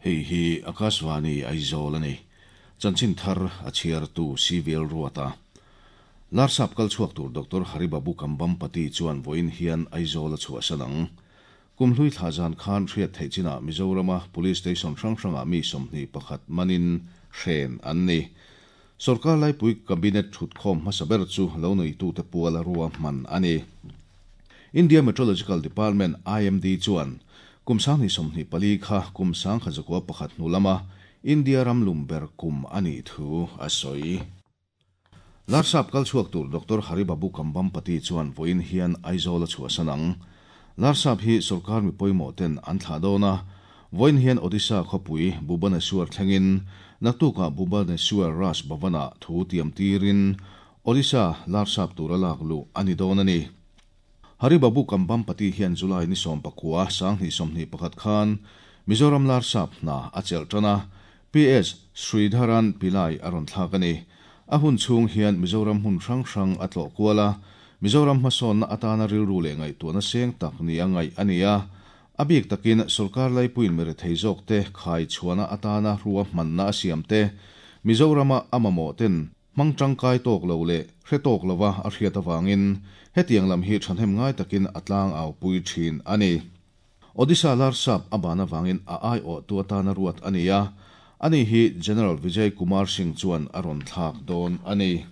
Hei hi Akashvani Aizawl a ni. Chanchin thar a chhiartu CVL Ruata. Larsap kal chhuak tur Doctor Haribabu Kambhampati chuan vawiin hian Aizawl a chhuahsan ang. Kum hlui thla zan khan hriat theih chinah Mizorama Police Station hrang hrangah mi 21 manin hren an ni. Sorkar laipui Cabinet thutkhawm hmasa ber chu lo neitute puala ruahman a ni. India Meteorological Department, IMD, chuan kum 2024 kha kum 1901 hnu lama India ram lum ber kum a nih thu a sawi. Larsap kal chhuak tur Doctor Haribabu Kambhampati chuan vawiin hian Aizawl a chhuahsan ang. Larsap hi sorkar mi pawimawh ten an thlah dawn a, vawiin hian Odisha khawpui Bhubaneswar thlengin naktukah Bhubaneswar Raj Bhavan-ah thu tiam tirin Odisha Larsap tura lak luh a ni dawn a ni. Haribabu Kambhampati hian July ni 19, 2021 khan Mizoram Larsap hna a chelh tan a, PS Sridharan Pillai a rawn thlak a ni. A hun chhung hian Mizoram hmun hrang hrang a tlawh kual a, Mizoram hmasawnna atana rilru leh ngaihtuahna seng tak nia ngaih a ni a. A bik takin sorkar laipuiin mirethei zawkte khai chhuahna atana ruahmanna a siam te, Mizorama a mamawh ten hmang tangkai tawk lo leh hre tawk lova a hriat avangin hetiang lam hi thahnem ngai takin a tlang au pui thin a ni. Odisha Larsap a ban avangin a aiawhtu atana ruat a ni a, ani hi General Vijay Kumar Singh chuan a rawn thlak dawn a ni.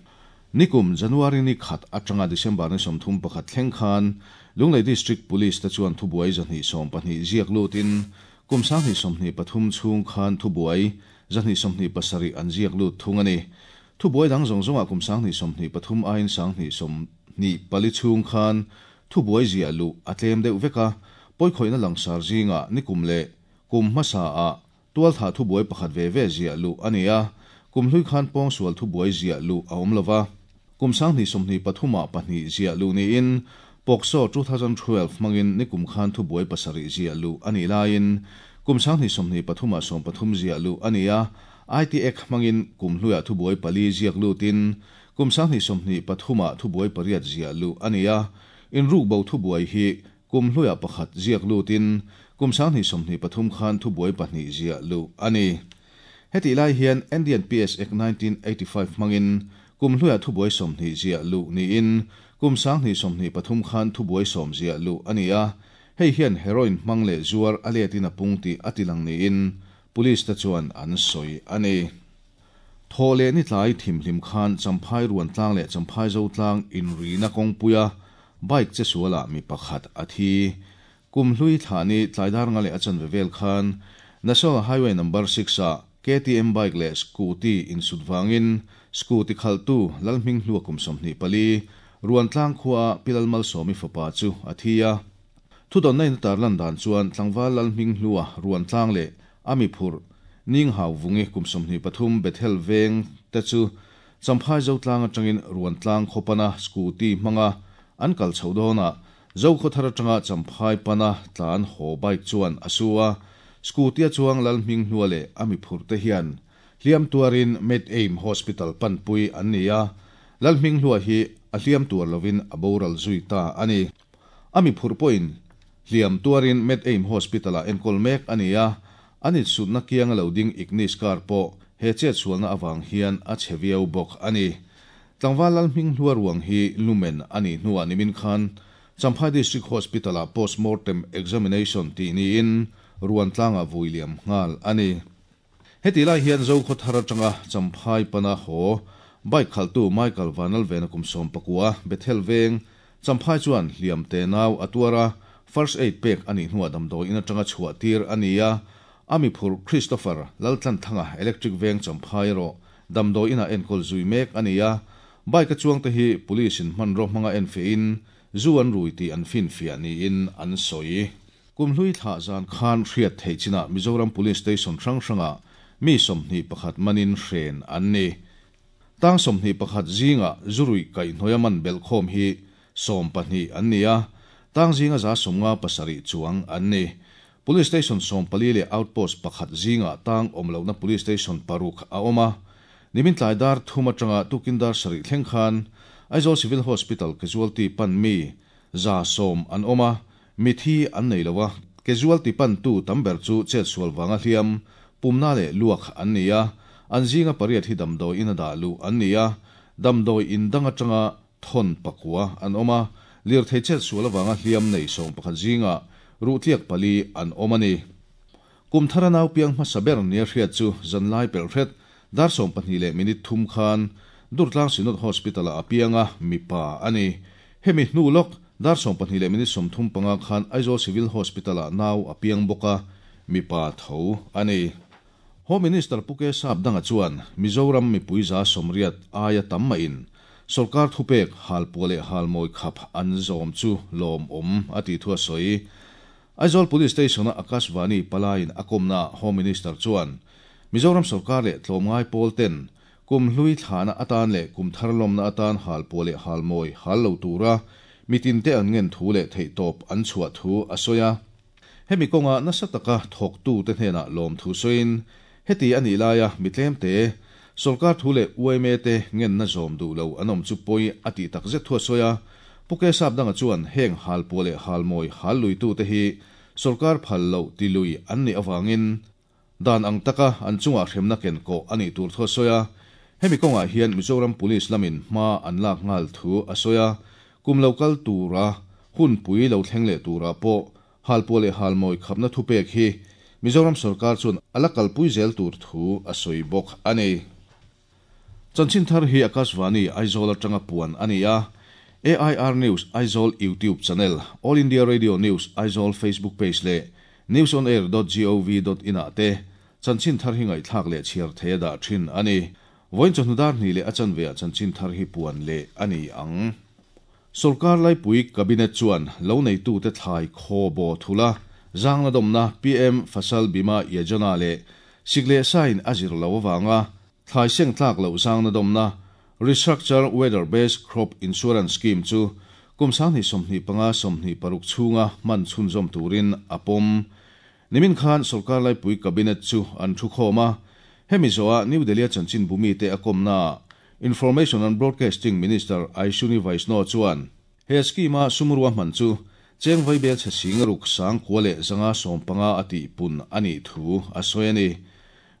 Nikum January ni khat atanga December ni 31 thleng khan Lunglei District Police te chuan thubuai 212 ziak lutin kum 2023 chhung khan thubuai 227 an ziak lut thung a ni. Thubuai dang zawng zawngah kum 2023 aiin 2024 chhung khan thubuai ziah luh a tlem deuh vek a, pawikhawihna langsar zingah nikum leh kum hmasaah tualthah thubuai pakhat ve ve ziah luh a ni a, kum hlui khan pawngsual thubuai ziah luh a awm lova, kum 2023ah pahnih ziah luh niin POCSO 2012 hmangin nikum khan thubuai pasarih ziah luh a nih laiin kum 2023ah 13 ziah luh a ni a, IT Act hmangin kum hluiah thubuai pali ziak lutin kum 2023ah thubuai pariat ziah luh a ni a, inrukbo thubuai hi kum hluiah pakhat ziak lutin kum 2023 khan thubuai pahnih ziah luh a ni. Hetih lai hian Indian PS Act 1985 hmangin kum hluiah thubuai 20 ziah luh niin kum 2023 khan thubuai 10 ziah luh a ni a, hei hian heroin hmang leh zuar a letin a pung tih a tilang niin police te chuan an sawi a ni. Thaw leh ni tlai thimhlim khan Champhai ruan tlang leh Champhai zo tlang inrina kawngpuia bike che sualah mi pakhat a thi. Kum hlui thla ni tlaidar nga leh a chanve vel khan National Highway number 6 ah KTM bike leh scooty insut wangin scooty khaltu Lalhming hlua kum 24 ruan tlang khua Pilal Malsawmi fapa chu a thi a. Thu don na in tarlan dan chuan tlangwal Lalhming hlua ruan tlang leh ami phur ning hau vungi kum 23 Bethel veng te chu Champhai zo tlang atangin ruan tlang khopana scooty hmanga an kal chhodona zo khaw atanga Champhai pana tlan ho bike chuan asua scooty chuang Lalhming hlua leh ami phur te hian hliam tuarin Med Aim Hospital panpui an ni a, Lalhming hlua hi a hliam tuar lovin a boral zui ta ani. Ami phur pawhin hliam tuarin Med Aim Hospital a enkawl mek ani a, ani sutna kianga lo ding Ignis car pawh he chet sualna awang hian a cheviau bawk ani. Tlangwal Lalhming hlua ruang hi lumen ani hnuah nimin khan Champhai District Hospital a postmortem examination ti niin ruan tlanga vuiliam ngal ani. Heti lai hian zo khaw thar atanga Champhai pana ho bike khaltu Michael Vanal vena kum 19 Bethel veng Champhai chuan hliam te nau atuara first aid pek ani hnuah damdawi in atanga chhuah tir ani a, ami phur Christopher Laltlan thanga electric veng Champhai ro damdawi ina enkawl zui mek ani a, bike a chuang te hi police in hman ro hmanga en fe in zu an rui ti an fin fia ni in an sawi. Kum hlui thla zan khan hriat thei china Mizoram Police Station hrang hranga mi 21 manin hren an ni. Tang 21 zinga zurui kai hnoia man bel khom hi 12 an ni a, tang zinga za 57 chuang an ni. Police Station 14 le outpost pakhat zinga tang omlo na Police Station paruk a oma. Nimin tlai dar thuma tanga tukindar sari thleng khan Aizawl Civil Hospital casualty pan mi za som an oma, mithi an nei lowa casualty pan tu tamber chu chet sual wanga hliam pumna leh luak an ni a, an zinga pariat hi damdawi ina dah luh an ni a, damdawi in dang atanga thawn pakua an awm a, lirthei chetsual avanga hliam nei 11 zingah ruh tliak pali an awm a ni. Kum thara nau piang hmasa ber nia hriat chu zanlai pelh hret dar 12 leh minute thum khan Durtlang Synod Hospital-ah a piang a, mipa a ni. Hemi hnu lawk dar 12 leh minute 35 khan Aizawl Civil Hospital-ah nau a piang bawk a, mipa tho a ni. Home Minister Pu K Sapdanga chuan Mizoram mipui 80% aia tam mahin sorkar thupek halpuah leh halmawi khap an zawm chu lawmawm a tih thu a sawi. Aizawl Police Station-a Akashvani palaiin a kawmnaah Home Minister chuan Mizoram sorkar leh tlawmngai pawl ten kum hlui thlahna atan leh kum thar lawmna atan halpuah leh halmawi hal lo tura mitinte an ngen thu leh theihtawp an chhuah thu a sawi a. Hemi kawnga nasa taka thawktute hnenah lawmthu sawiin, heti a nih laia mi tlemte, sorkar thu leh yma te ngenna zawm duh lo an awm chu pawi a tih takzet thu a sawi a. Pu K Sapdanga chuan heng halpuah leh halmawi hal luitute hi sorkar phal loh ti lui an nih avangin dan ang taka an chungah hremna ken kawh a nih tur thu a sawi a. Hemi kawngah hian Mizoram Police lamin hma an lak nghal thu a sawi a. Kum lo kal tura hunpui lo thleng leh turah pawh Halpuah leh halmawi khapna thupek hi Mizoram sorkar chuan a la kalpui zel tur thu a sawi bawk a ni. Chanchin thar hi Akashvani Aizawl atanga puan a ni a, AIR News Aizawl YouTube channel, All India Radio News Aizawl Facebook page leh newsonair dot gov dot in ah te chanchin thar hi ngaihthlak leh chhiar thei a dah thin a ni. Vawiin chawhnu dar hnih leh a chanve ah chanchin thar hi puan leh a ni ang. Sorkar laipui Cabinet chuan lo neitute thlai khaw baw thula zangna dawmna PM Fasal Bima Yojana leh sik leh sain a zir lo avanga thlai seng tlak loh zangna dawmna Restructure Weather Based Crop Insurance Scheme chu kum 2025 26 chhunga hman chhunzawm turin a pawm. Nimin khan sorkar laipui Cabinet chu an thukhawm a, hemi zawhah New Delhi-a chanchinbu mite a kawmnaah Information and Broadcasting Minister Aishwini Vaishnaw chuan he scheme-a sum ruahman chu cheng vaibel chhe sing ruk sang kua leh zanga 15 a tih pun a nih thu a sawi a ni.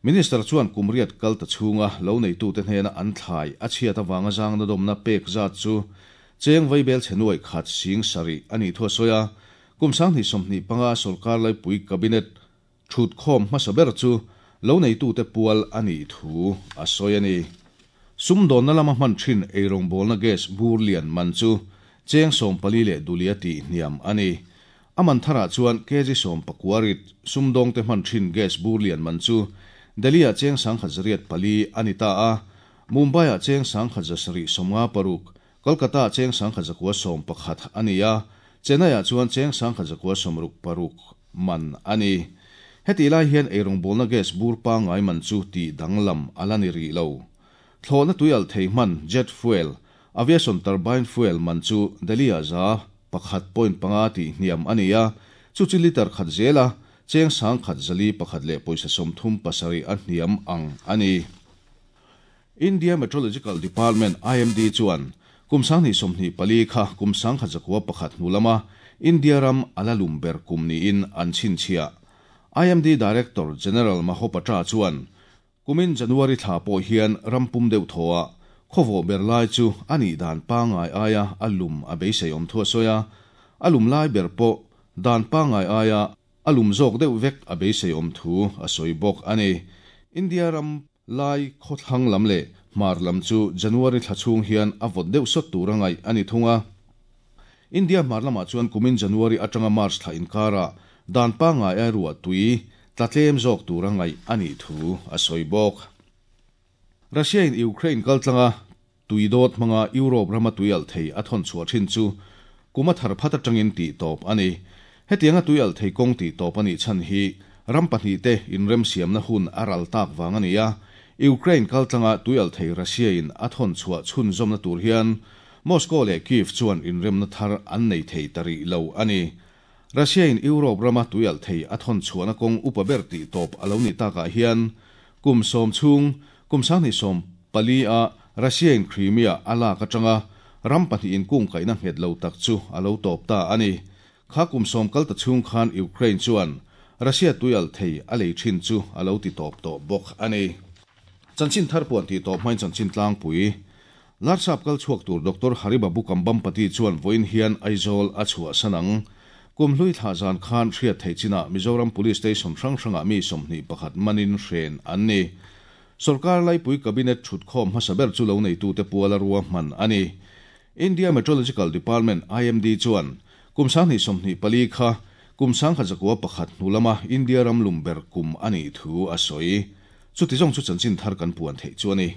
Minister chuan kum riat kal ta chhunga lo neitute hnena an thlai a chhiat avanga zangna dawmna pek zat chu cheng vaibel chhe nuai khat sing sarih a nih thu a sawi a. Kum 2025 sorkar laipui Cabinet Thutkhawm hmasa ber chu lo neitute pual a nih thu a sawi a ni. Sumdawnna lama hman thin eirawngbawlna gas bur lian man chu cheng 14 leh dulia tih hniam a ni. A man tharah chuan kg 19 rit sumdawngte hman thin gas bur lian man chu Delhi-ah cheng 1104 a ni ta a, Mumbai-ah cheng 1756, Kolkata-ah cheng 1911 a ni a, Chennai-ah chuan cheng 1966 man a ni. Hetih lai hian eirawngbawlna gas bur pangngai man chu tih danglam a la ni rih lo. Thlawhna tui alh thei hman, jet fuel, aviation turbine fuel man chu Delhi-ah 1.5% tih hniam a ni a, chu chu litre khat zela cheng 1401 leh pawisa 37 a hniam ang a ni. India Meteorological Department, IMD, chuan kum 2024 kha kum 1901 hnu lama India ram a la lum ber kum niin an chhinchhiah. IMD Director General Mahopatra chuan kumin January thla pawh hian ram pum deuh thawhah khawvawh ber lai chu a nih dan pangngai aia a lum a beisei awm thu a sawi a, a lum lai ber pawh dan pangngai aia a lum zawk deuh vek a beisei awm thu a sawi bawk a ni. India ram Lai khawthlang lam leh hmar lam chu January thla chhung hian a vawt deuh sawt tur a ngaih a ni thung a. India hmar lamah chuan kumin January atanga March thla inkarah dan pangngai a ruah tui tla tlem zawk tur a ngaih a nih thu a sawi bawk. Russia in Ukraine kaltlanga tui dawt hmanga Europe rama tui alh thei a thawn chhuah thin chu kum a thar phat atangin tih tawp a ni. Hetianga tui alh thei kawng tih tawp a nih chhan hi ram pahnihte inremsiamna hun a ral tak vang a ni a. Ukraine kaltlanga tui alh thei Russia in a thawn chhuah chhunzawmna tur hian Moscow leh Kyiv chuan inremna thar an nei thei ta rih lo a ni. Russia in Europe rama tui alh thei a thawn chhuahna kawng upa ber tih tawp a lo nih takah hian kum 10 chhung Kum 2014 a Russia in Crimea a lak atanga ram pahnih inkungkaihna nghet lo tak chu a lo tawp ta a ni. Kha kum 10 kal ta chhung khan Ukraine chuan Russia tuialhthei a lei thin chu a lo ti tawp tawh bawk a ni. Chanchin thar puan tih tawp hmain chanchin tlangpui. Larsap kal chhuak tur Doctor Hari Babu Kambhampati chuan vawiin hian Aizawl a chhuahsan ang. Kumhlui thlah zan khan hriat theih chinah Mizoram Police Station hrang hrangah mi 21 manin hren an ni. Sorkar laipui Cabinet thutkhawm hmasa ber chu loneitute puala ruahman a ni. India Metrological Department, IMD, chuan kum 2024 kha kum 1901 hnu lama India ram lum ber kum a nih thu a sawi. Chuti zawng chu chanchin thar kan puan theih chu a ni.